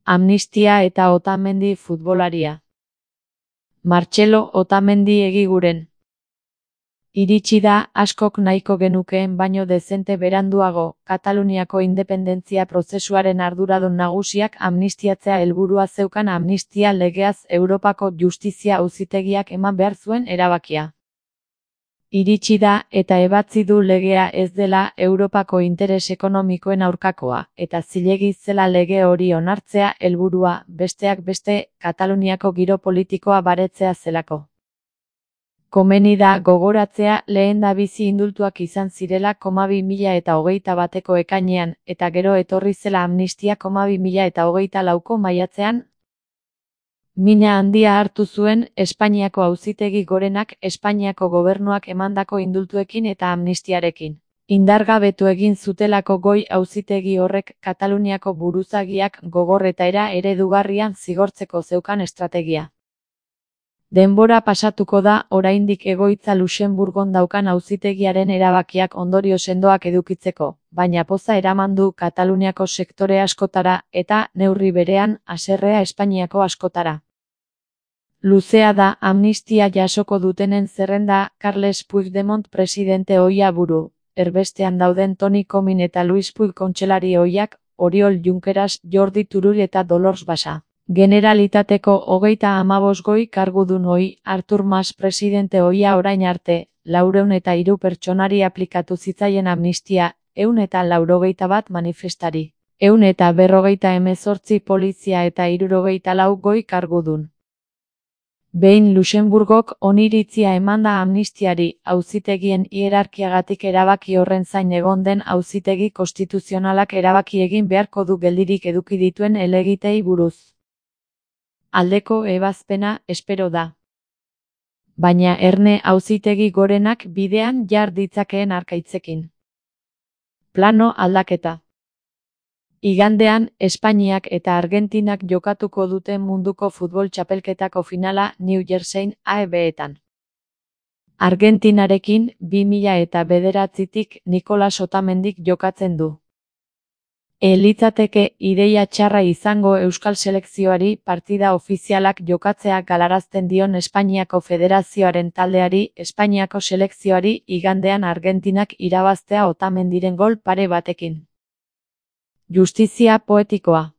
Amnistia eta Otamendi futbolaria. Martxelo Otamendi Egiguren. Iritsi da, askok nahiko genukeen baino dezente beranduago, Kataluniako independentzia prozesuaren arduradun nagusiak amnistiatzea helburua zeukan amnistia legeaz Europako Justizia Auzitegiak eman behar zuen erabakia. Iritsi da, eta ebatzi du legea ez dela Europako interes ekonomikoen aurkakoa, eta zilegi zela lege hori onartzea helburua, besteak beste, Kataluniako giro politikoa baretzea zelako. Komeni da gogoratzea lehendabizi indultuak izan zirela 2021ko ekainean, eta gero etorri zela amnistia 2024ko maiatzean. Mina handia hartu zuen Espainiako Auzitegi Gorenak Espainiako gobernuak emandako indultuekin eta amnistiarekin. Indargabetu egin zutelako goi auzitegi horrek Kataluniako buruzagiak gogor eta era eredugarrian zigortzeko zeukan estrategia. Denbora pasatuko da oraindik egoitza Luxenburgon daukan auzitegiaren erabakiak ondorio sendoak edukitzeko, baina poza eraman du Kataluniako sektore askotara eta, neurri berean, haserrea Espainiako askotara. Luzea da amnistia jasoko dutenen zerrenda Carles Puigdemont presidente ohia buru, erbestean dauden Toni Comín eta Luis Puig kontseilari ohiak, Oriol Junqueras, Jordi Turull eta Dolors Bassa. Generalitateko 35 goi kargudun ohi, Artur Mas presidente ohia orain arte, 403 pertsonari aplikatu zitzaien amnistia, 181 manifestari, 158 polizia eta 64 goi kargudun. Behin Luxenburgok oniritzia emanda amnistiari, auzitegien hierarkiagatik erabaki horren zain egon den auzitegi konstituzionalak erabaki egin beharko du geldirik eduki dituen helegiteei buruz. Aldeko ebazpena espero da. Baina erne auzitegi gorenak bidean jar ditzakeen arkaitzekin. Plano aldaketa. Igandean, Espainiak eta Argentinak jokatuko dute munduko futbol txapelketako finala New Jerseyn AEB-etan. Argentinarekin 2009tik Nicolas Otamendik jokatzen du. Litzateke ideia txarra izango Euskal selekzioari partida ofizialak jokatzea galarazten dion Espainiako Federazioaren taldeari Espainiako selekzioari igandean Argentinak irabaztea Otamendiren gol pare batekin. Justizia poetikoa.